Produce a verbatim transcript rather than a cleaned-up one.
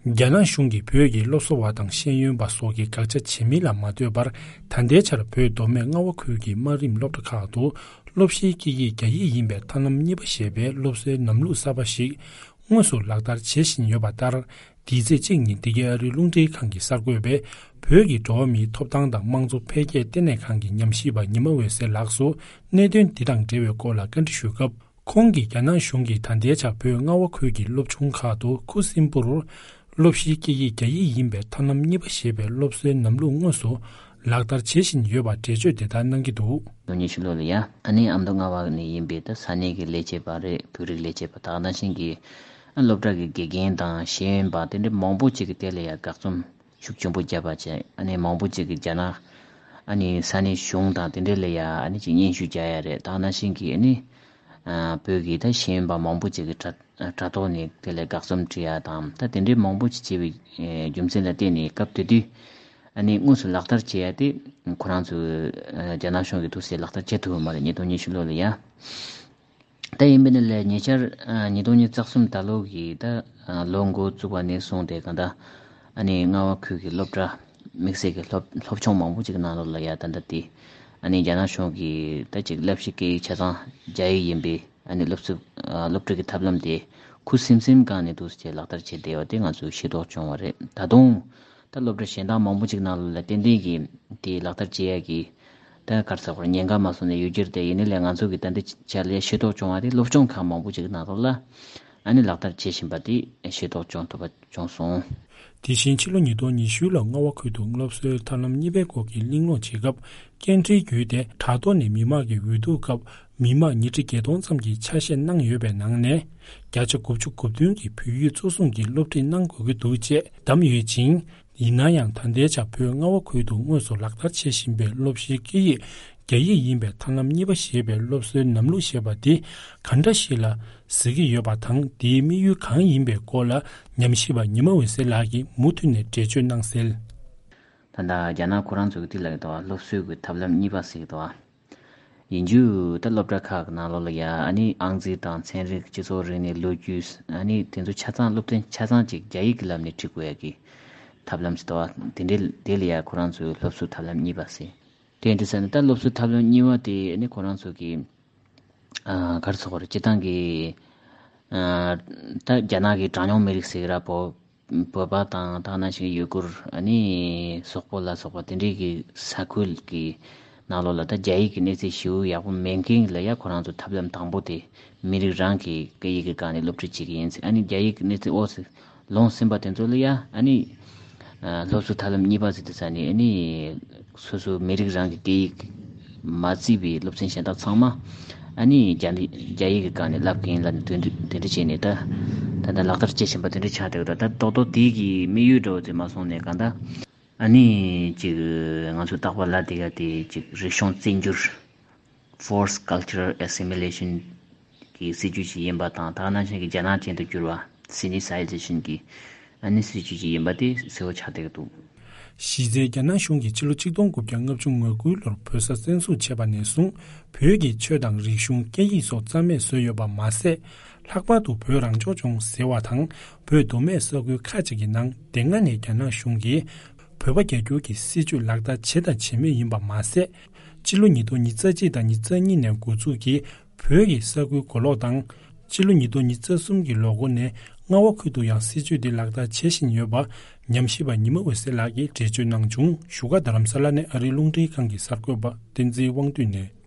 རྒྱ་ནག་གཞུང་གིས་བོད་ཀྱི་སློབ་གསོ་བ་དང་ཤེས་ཡོན་པ་སོགས་ཀྱི་དགག་བྱ་བྱེད་མིན་ལ་མ་ལྟོས་པར། ད་ལྟའི་ཆར་བོད་མདོ་སྨད་རྔ་བ་ཁུལ་གྱི་དམའ་རིམ་སློབ་གྲྭ་ཁག་ཏུ་སློབ་གཞིའི་སྐད་ཡིག་རྒྱ་ཡིག་ཡིན་པའི་ཐབས་ལམ་གཉིས་པ་ཞེས་པའི་སློབ་གསོའི་ལམ་ལུགས་གསར་པ་ཞིག་དངོས་སུ་ལག་བསྟར་བྱེད་བཞིན་ཡོད་པ་ལྟར། འདི་ཚེས་གཅིག་ཉིན་འདི་གའི་ཨ་རིའི་རླུང་འཕྲིན་ཁང་གི་གསར་འགོད་པས། བོད་ཀྱི་འགྲོ་བ་མིའི་ཐོབ་ཐང་དང་དམངས་གཙོ་འཕེལ་རྒྱས་ལྟེ་གནས་ཁང་གི་ཉམས་ཞིབ་པ་ཉི་མ་འོད་ཟེར་ལགས་སུ། གནད་དོན་འདི་དང་འབྲེལ་བའི་སྐོར་ལ་བཀའ་འདྲི་ཞུས་སྐབས། ཁོང་གིས་རྒྱ་ནག་གཞུང་གིས་ད་ལྟའི་ཆར་བོད་རྔ་བ་ཁུལ་གྱི་སློབ་ཆུང་ཁག་ཏུ་ཁུ་སིམ་པོར་སློབ་གཞིའི་སྐད་ཡིག་རྒྱ་ཡིག་ཡིན་པའི་ཐབས་ལམ་གཉིས་པ་ཞེས་པའི་སློབ་གསོའི་ལམ་ལུགས་དངོས་སུ་ལག་བསྟར་བྱེད་བཞིན་ཡོད་པར་འགྲེལ་བརྗོད་དེ་ལྟར་གནང་གི་འདུག། ཉི་ཤུ་ལོ་ལ་ཡ། ཨ་ནི་ཨ་མདོ་རྔ་བ་ནས་ཡིན་པའི་ད་ས་གནས་ཀྱི་ལས་བྱེད་པ་རེད། བོད་རིགས་ལས་བྱེད་པ་དག་ནང་བཞིན་གྱི་ཨ་སློབ་གྲྭ་གི་དགེ་རྒན་དང་ཤེས་ཡོན་པ་དེ་འདྲ་མང་པོ་ཅིག་གིས་དེ་ལ་ཡ་དགག་རྩོམ་ཤུགས་ཆེན་པོ་བརྒྱབ་པ་བྱས། ཨ་ནི་མང་པོ་ཅིག་གིས་རྒྱ་ནག་ཨ་ནི་ས་གནས་གཞུང་དང་དེ་འདྲ་ལ་ཡ་ཨ་ནི་ཅིག་སྙན་ཞུ་རྒྱག་ཡ་རེད། དག་ནང་བཞིན་གྱི་ཨ་ནི་ཨ་བོད་ཀྱི་ད་ཤེས་ཡོན་པ་མང་པོ་ཅིག་གིས་དྲ་དྲ་ཐོག་ནས་དེ་ལ་དགག་རྩོམ་བྲིས་ཡ་དང་། ད་དེ་འདྲའི་མང་པོ་ཅིག་བྱས་པའི་ཨེ་རྒྱུ་མཚན་ལ་བརྟེན་ནས་སྐབས་དེ་དུས་ཨ་ནི་དངོས་སུ་ལག་བསྟར་བྱེད་ཡ་དེ་ཁོ་རང་ཚོས་ཨ་རྒྱ་ནག་གཞུང་གིས་ཐུགས་སྲས་ལག་བསྟར་བྱེད་ཐུབ་པ་མ་རེད། ཉིས་སྟོང་ཉི་ཤུ་ལོ་ལ་ཡ། ད་ཡིན་པ་ནི་ལས་ཉེ་ཆར་ཨ་ཉིས་སྟོང་ཉི་ཤུ་རྩ་གསུམ་ད་ལོ་གི་ད་ཨ་ལོ་འགོ་བཙུགས་པ་ནས་བཟུང་སྟེ་གང་ལྟར་ཨ་ནི་རྔ་བ་ཁུལ་གྱི་སློབ་གྲྭ་དམིགས་བསལ་གྱི་སློབ་སློབ་ཆུང་མང་པོ་ཅིག་གི་ནང་ལོགས་ལ་ཡ་ད་ལྟ་དེ་ཨ་ནི་རྒྱ་ནག་གཞུང་གིས་ད་ཅིག་བསླབ་གཞི་སྐད་ཡིག་ཆ་ཚང་རྒྱ་ཡིག་ཡིན་པའི་ཨ་ནི་སློབ་གསོ་ཨ་སློབ་ཁྲིད་ཀྱི་ཐབས་ལམ་དེ་ཁུ་སིམ་སིམ་སྒང་ནས་འདུག་སེ་ལག་བསྟར་བྱས་བསྡད་པ་དེ་ང་ཚོས་ཤེས་རྟོགས་བྱུང་བ་རེད། ད་དུང་ད་སློབ་གྲྭ་གཞན་དག་མང་པོ་ཅིག་ནང་ལོགས་ལ་ཏན་ཏན་གྱིས་དེ་ལག་བསྟར་བྱེད་ཡ་གི་ད་ག་རེ་ཟེར་དགོས་རེད། ཉེན་ཁ་མ་སོང་ནས་ཡོད་ཀྱི་རེད་དེ། ཡིན་ནའི་ལས་ང་ཚོ་གི་ད་འདི་ཆ་ལ་ཤེས་རྟོགས་བྱུང་བ་དེ་སློབ་སྦྱོང་ཁག་མང་པོ་ཅིག་ནང་ལོགས་ལ་ཨ་ནི་ལག་བསྟར་བྱེད་བཞིན་པ་དེ་ཤེས་རྟོགས་བྱུང་ཐུབ་པ་བྱུང་སོང་། དེ་བཞིན་ཕྱི་ལོ་ཉིས་སྟོང་ཉི་ཤུ་ལོར་རྔ་བ་ཁུལ་དུ་སློབ་གསོའི་ཐབས་ལམ་གཉིས་པའི་སྐོར་གྱི་གླེང་སློང་བྱེད་སྐབས། སྐད་འཕྲིན་བརྒྱུད་དེ་དྲ་ཐོག་ནས་མི་མང་གི་འོས་བསྡུ་སྐབས་མི་མང་ཉིས་ཁྲི་བརྒྱད་སྟོང་ཙམ་གྱིས་ཆ་ཤས་གནང་ཡོད་པའི་ནང་ནས། བརྒྱ་ཆ་དགུ་བཅུ་གོ་བདུན་གྱིས་བོད་ཡིག་གཙོ་བཟུང་གིས་སློབ་ཁྲིད་གནང་དགོས་ཀྱི་འདུག་ཅེས་བདམས་ཡོད་ཅིང་། ཡིན་ན་ཡང་ད་ལྟའི་ཆར་བོད་རྔ་བ་ཁུལ་དུ་དངོས་སུ་ལག་བསྟར་བྱེད་བཞིན་པའི་སློབ་གཞིའི་སྐད་ཡིག་རྒྱ་ཡིག་ཡིན་པའི་ཐབས་ལམ་གཉིས་པ་ཞེས་པའི་སློབ་གསོའི་ལམ་ལུགས་ཞེས་པ་འདི་གང་འདྲ་ཞིག་ལ་གཟིགས་ཀྱི་ཡོད་པ་དང་། དེའི་དམིགས་ཡུལ་གང་ཡིན་པའི་སྐོར་ལ་ཉམས་ཞིབ་པ་ཉི་མ་འོད་ཟེར་ལགས་ཀྱིས་མུ་མཐུད་ནས་འགྲེལ་བརྗོད་གནང་གསལ། ད་ལྟ་རྒྱ་ནག་ཁོ་རང་ཚོ་གི་དེ་ལ་ཡོད་དོ། སློབ་གསོའི་གི་ཐབས་ལམ་གཉིས་པ་ཟེར་གི་འདུག་བ། ཡིན་རྒྱུ་ད་སློབ་གྲྭ་ཁག་གི་ནང་ལོགས་ལ་ཡ་ཨ་ནི་ཨང་རྩིས་དང་ཚན་རིག་སྤྱི་ཚོགས་རིག་གནས་ལོ་རྒྱུས་ཨ་ནི་དེ་ཚོ་ཆ་ཚང་སློབ་ཚན་ཆ་ཚང་ཅིག་རྒྱ་ཡིག་གི་ལམ་ནས་ཁྲིད་དགོས་ཡ་གི་ཐབས་ལམ་ཞིག་འདུག་བ། དེ་འདྲའི་དེ་ལ་ཡ་ཁོ་རང་ཚོའི་སློབ་གསོའི་ཐབས་ལམ་གཉིས་པ་ཟེར། དེ་འདྲ་ཟེར་ན་ད་སློབ་གསོའི་ཐབས་ལམ་གཉིས་པ་དེ་ཨ་ནི་ཁོ་རང་ཚོ་གི་ཨ་ག་རེ་ཟེར་དགོས་རེད། སྤྱིར་བཏང་གི་ཨ་ད་རྒྱ་ནག་གི་གྲངས་ཉུང་མི་རིགས་ཟེར་གི་ར། བོད་བོད་པ་དང་དེ་ནང་བཞིན་ཡུ་གུར་ཨ་ནི་སོག་པོ་ལ་སོགས་པ་དེ་འདྲའི་གི་ས་ཁུལ་གི་ནང་ལོགས་ལ་ད་རྒྱ་ཡིག་གི་གནས་ཚད་ཞེ་པོ་ཡག་པོ་མེད་མཁན་ལ་ཡ་ཁོ་རང་ཚོ་ཐབས་ལམ་དང་པོ་དེ་མི་རིགས་རང་གི་སྐད་ཡིག་གི་སྒང་ནས་སློབ་ཁྲིད་བྱེད་ཀྱི་ཡིན་ཟེར། ཨ་ནི་རྒྱ་ཡིག་གི་གནས་ཚད་འོག་སུ་ལོངས་ཟིན་པ་དེ་ཚོ་ལ་ཡ་ཨ་ནི་ཨ་སློབ་གསོའི་ཐབས་ལམ་གཉིས་པ་ཟེར་དུས་ཙ་ནས་ཨ་ནི་སོ་སོའི་མི་རིགས་རང་གི་སྐད་ཡིག་མ་བརྩིས་པའི་སློབ་ཚན་གཞན་དག་ཚང་མ་ཨ་ནི་རྒྱ་རྒྱ་ཡིག་གི་སྒང་ནས་བསླབ་མཁན་ལ་དེ་འདྲ་དེ་འདྲ་བྱས་ནས་ད་ད་ལྟ་ལག་བསྟར་བྱེད་བཞིན་པ་དེ་འདྲ་ཆགས་བསྡད་ཡོད། ད་ད་རྡོག་རྡོག་དེ་གི་དམིགས་ཡུལ་འདྲ་བོ་དེ་མ་སོང་ནས་གང་ལྟར་ཨ་ནི་ཅིག་ང་ཚོ་རྟག་པར་ལབ་བསྡད་ཡ་དེ་ཅིག་རིག་གཞུང་བཙན་སྒྱུར། Forced Cultural Assimilation གི་སྲིད་ཇུས་ཤིག་ཡིན་པ་དང་། དེ་ནང་བཞིན་གྱི་རྒྱ་ནག་ཅན་དུ་བསྒྱུར་བ། Sinicization གི་ཨ་ནི་སྲིད་ཇུས་ཤིག་ཡིན་པ་དེ་གསལ་པོ་ཆགས་བསྡད་ཀྱི་འདུག། གཞི་རྩའི་རྒྱ་ནག་གཞུང་གིས་ཕྱི་ལོ་ཆིག་སྟོང་དགུ་བརྒྱ་ལྔ་བཅུ་ང་དགུའི་ལོར་བོད་ས་བཙན་བཟུང་བྱས་པ་ནས་བཟུང་བོད་ཀྱི་ཆོས་དང་རིག་གཞུང་སྐད་ཡིག་སོགས་རྩ་མེད་བཟོས་ཡོད་པ་མ་ཟད། ལྷག་པར་དུ་བོད་རང་སྐྱོང་ལྗོངས་ཟེར་བ་དང་བོད་མདོ་སྨད་ས་ཁུལ་ཁག་ཅིག་གི་ནང་དེ་སྔ་ནས་རྒྱ་ནག་གཞུང་གིས་བོད་པ་རྒྱ་སྒྱུར་གྱི་སྲིད་བྱུས་ལག་བསྟར་བྱས་དང་བྱེད་མུས་ཡིན་པ་མ་ཟད། སྤྱི་ལོ་ཉིས་སྟོང་ཉི་ཤུ་རྩ་གཅིག་དང་ཉི་ཤུ་རྩ་གཉིས་ནས་འགོ་འཛུགས་ཀྱིས་བོད་ཀྱི་ས་ཁུལ་གོ་ལོག་དང་། སྤྱི་ལོ་ཉིས་སྟོང་ཉི་ཤུ་རྩ་གསུམ་གྱི་ལོ་འགོ་ནས་རྔ་བ་ཁུལ་དུ་ཡང་སྲིད་བྱུས་འདི་ལག་བསྟར་བྱེད་བཞིན་ཡོད་པ་ཉམས་ཞིབ་པ་ཉི་མ་འོད་ཟེར་ལགས་ཀྱིས་འགྲེལ་བརྗོད་གནང་བྱུང་། བཞུགས་སྒར་རྡ་རམ་ས་ལ་ནས་ཨ་རིའི་རླུང་འཕྲིན་ཁང་གི་གསར་འགོད་པ་བསྟན་འཛིན་དབང་འདུས་ནས།